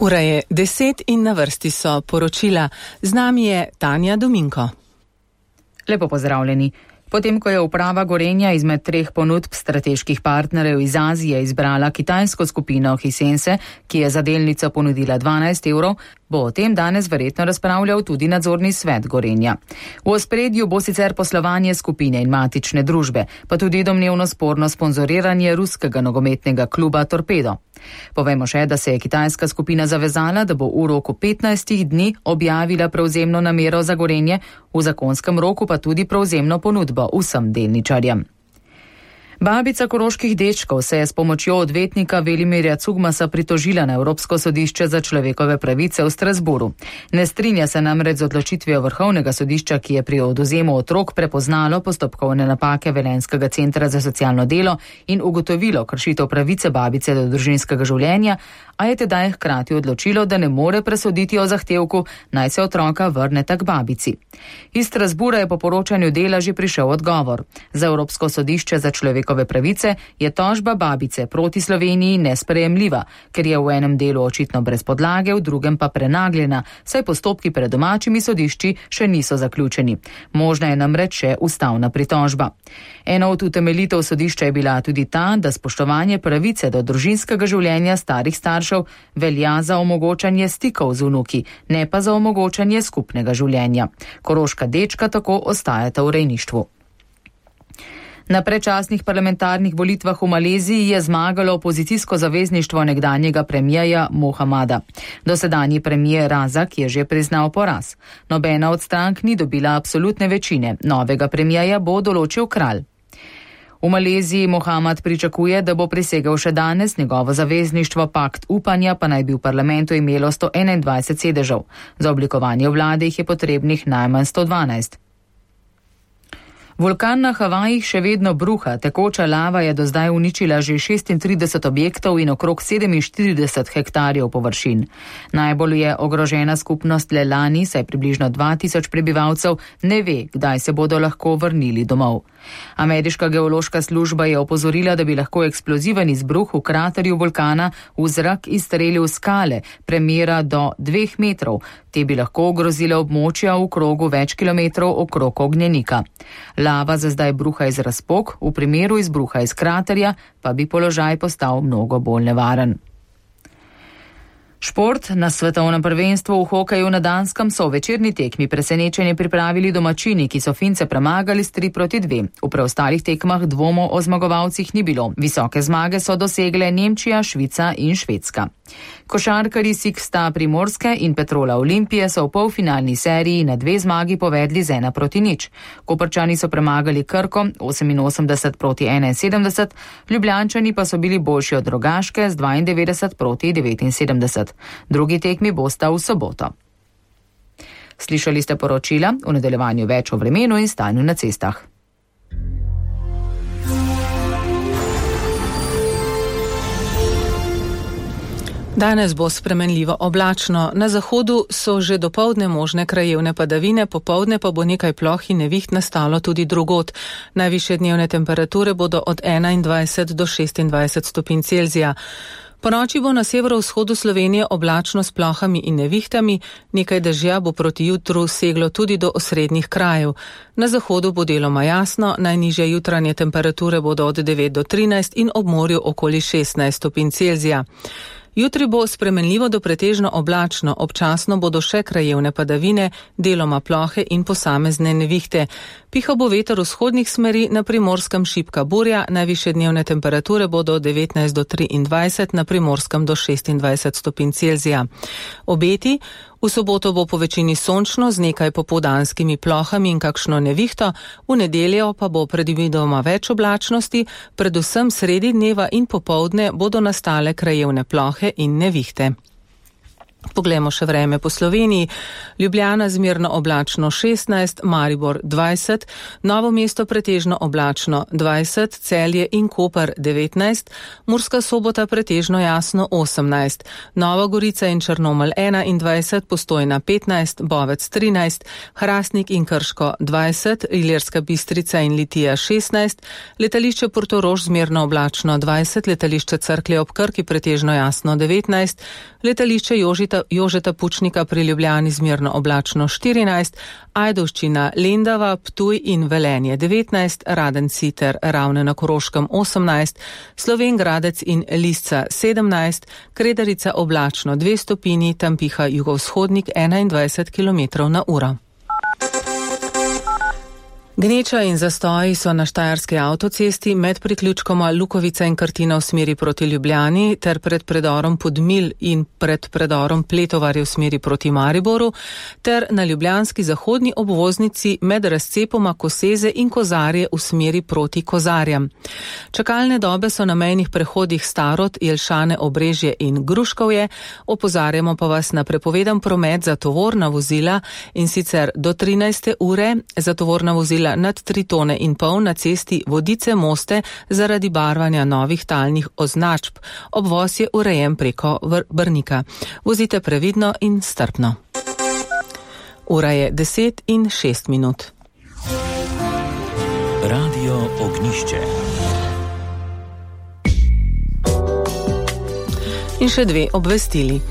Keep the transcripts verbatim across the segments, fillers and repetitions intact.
Ura je deset in na vrsti so poročila. Z nami je Tanja Dominko. Lepo pozdravljeni. Potem, ko je uprava Gorenja izmed treh ponudb strateških partnerjev iz Azije izbrala kitajsko skupino Hisense, ki je za delnico ponudila dvanajst evrov, bo o tem danes verjetno razpravljal tudi nadzorni svet Gorenja. V ospredju bo sicer poslovanje skupine in matične družbe, pa tudi domnevno sporno sponzoriranje ruskega nogometnega kluba Torpedo. Povemo še, da se je kitajska skupina zavezala, da bo v roku petnajstih dni objavila prevzemno namero za Gorenje, v zakonskem roku pa tudi prevzemno ponudbo vsem delničarjem. Babica koroških dečkov se je s pomočjo odvetnika Velimirja Cugmasa pritožila na Evropsko sodišče za človekove pravice v Strasburu. Ne strinja se namreč z odločitvijo Vrhovnega sodišča, ki je pri odvzemu otrok prepoznalo postopkovne napake Velenjskega centra za socialno delo in ugotovilo kršitev pravice babice do družinskega življenja, a je tedaj hkrati odločilo, da ne more presoditi o zahtevku, naj se otroka vrneta k babici. Iz Strasbura je po poročanju Dela že prišel odgovor. Za Evropsko sodišče za človekove pravice je tožba babice proti Sloveniji nesprejemljiva, ker je v enem delu očitno brez podlage, v drugem pa prenagljena, saj postopki pred domačimi sodišči še niso zaključeni. Možna je namreč še ustavna pritožba. Ena od utemeljitev sodišča je bila tudi ta, da spoštovanje pravice do družinskega življenja starih staršev velja za omogočanje stikov z vnuki, ne pa za omogočanje skupnega življenja. Koroška dečka tako ostajata v rejništvu. Na predčasnih parlamentarnih volitvah v Maleziji je zmagalo opozicijsko zavezništvo nekdanjega premijeja Mohamada. Dosedanji premijer Razak je že priznal poraz. Nobena od strank ni dobila absolutne večine. Novega premijeja bo določil kralj. V Maleziji Mohamad pričakuje, da bo prisegel še danes, njegovo zavezništvo Pakt upanja pa naj bi v parlamentu imelo sto enaindvajset sedežev. Za oblikovanje vlade jih je potrebnih najmanj sto dvanajst. Vulkan na Havajih še vedno bruha, tekoča lava je do zdaj uničila že šestintrideset objektov in okrog sedeminštirideset hektarjev površin. Najbolj je ogrožena skupnost Lelani, saj približno dva tisoč prebivalcev ne ve, kdaj se bodo lahko vrnili domov. Ameriška geološka služba je opozorila, da bi lahko eksploziven izbruh v kraterju vulkana v zrak izstrelil skale, premera do dveh metrov. Te bi lahko ogrozile območja v krogu več kilometrov okrog ognjenika. Lava za zdaj bruha iz razpok, v primeru izbruha iz kraterja pa bi položaj postal mnogo bolj nevaren. Šport. Na svetovnem prvenstvu v hokeju na Danskem so v večerni tekmi presenečenje pripravili domačini, ki so Fince premagali s tri proti dve. V preostalih tekmah dvomov o zmagovalcih ni bilo. Visoke zmage so dosegle Nemčija, Švica in Švedska. Košarkarji Siksta Primorske in Petrola Olimpije so v polfinalni seriji na dve zmagi povedli z ena proti nič. Koprčani so premagali Krko oseminosemdeset proti enainsedemdeset, Ljubljančani pa so bili boljši od Rogaške z dvaindevetdeset proti devetinsedemdeset. Drugi tekmi bosta v soboto. Slišali ste poročila, v nadaljevanju več o vremenu in stanju na cestah. Danes bo spremenljivo oblačno. Na zahodu so že dopoldne možne krajevne padavine, popoldne pa bo nekaj ploh in neviht nastalo tudi drugod. Najvišje dnevne temperature bodo od enaindvajset do šestindvajset stopinj Celzija. Ponoči bo na severovzhodu Slovenije oblačno s plohami in nevihtami, nekaj dežja bo proti jutru seglo tudi do osrednjih krajev. Na zahodu bo deloma jasno, najnižje jutranje temperature bodo od devet do trinajst in ob morju okoli šestnajst stopinj Celzija. Jutri bo spremenljivo do pretežno oblačno, občasno bodo še krajevne padavine, deloma plohe in posamezne nevihte. Pihal bo veter vzhodnih smeri, na Primorskem šibka burja, najvišje dnevne temperature bodo od devetnajst do triindvajset, na Primorskem do šestindvajset stopinj Celzija. Obeti: v soboto bo po večini sončno z nekaj popoldanskimi plohami in kakšno nevihto, v nedeljo pa bo predvidoma več oblačnosti, predvsem sredi dneva in popoldne bodo nastale krajevne plohe in nevihte. Poglejmo še vreme po Sloveniji. Ljubljana zmerno oblačno šestnajst, Maribor dvajset, Novo mesto pretežno oblačno dvajset, Celje in Koper devetnajst, Murska Sobota pretežno jasno osemnajst, Nova Gorica in Črnomelj enaindvajset, Postojna petnajst, Bovec trinajst, Hrastnik in Krško dvajset, Ilirska Bistrica in Litija šestnajst, letališče Portorož zmerno oblačno dvajset, letališče Cerklje ob Krki pretežno jasno devetnajst, letališče Jožita Jožeta Pučnika pri Ljubljani zmerno oblačno štirinajst, Ajdovščina, Lendava, Ptuj in Velenje devetnajst, Radenci ter Ravne na Koroškem osemnajst, Slovenj Gradec in Lisca sedemnajst, Kredarica oblačno dve stopinji, tam piha jugovzhodnik enaindvajset kilometrov na uro. Gneča in zastoji so na štajerski avtocesti med priključkoma Lukovica in Krtina v smeri proti Ljubljani ter pred predorom Podmilj in pred predorom Pletovarje v smeri proti Mariboru ter na ljubljanski zahodni obvoznici med razcepoma Koseze in Kozarje v smeri proti Kozarjem. Čakalne dobe so na mejnih prehodih Starod, Jelšane, Obrežje in Gruškovje. Opozarjamo pa vas na prepovedan promet za tovorna vozila in sicer do trinajste ure za tovorna vozila nad tri tone in pol na cesti Vodice-Moste zaradi barvanja novih talnih označb. Obvoz je urejen preko Brnika. Vozite previdno in strpno. Ura je deset in šest minut. Radio Ognjišče. In še dve obvestili.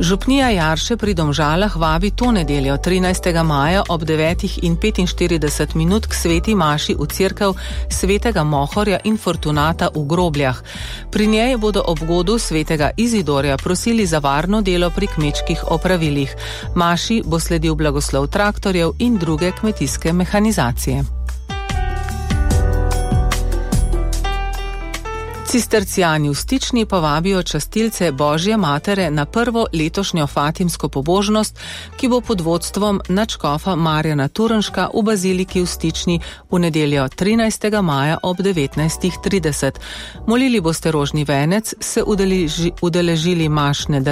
Župnija Jarše pri Domžalah vabi to nedeljo trinajstega maja ob devetih in petinštirideset minut k sveti maši v cerkev svetega Mohorja in Fortunata v Grobljah. Pri njej bodo ob godu svetega Izidorja prosili za varno delo pri kmečkih opravilih. Maši bo sledil blagoslov traktorjev in druge kmetijske mehanizacije. Cistercijani v Stični pa vabijo častilce Božje matere na prvo letošnjo fatimsko pobožnost, ki bo pod vodstvom nadškofa Marjana Turnška v baziliki v Stični v nedeljo trinajstega maja ob devetnajstih trideset. Molili boste rožni venec, se udeleži, udeležili mašne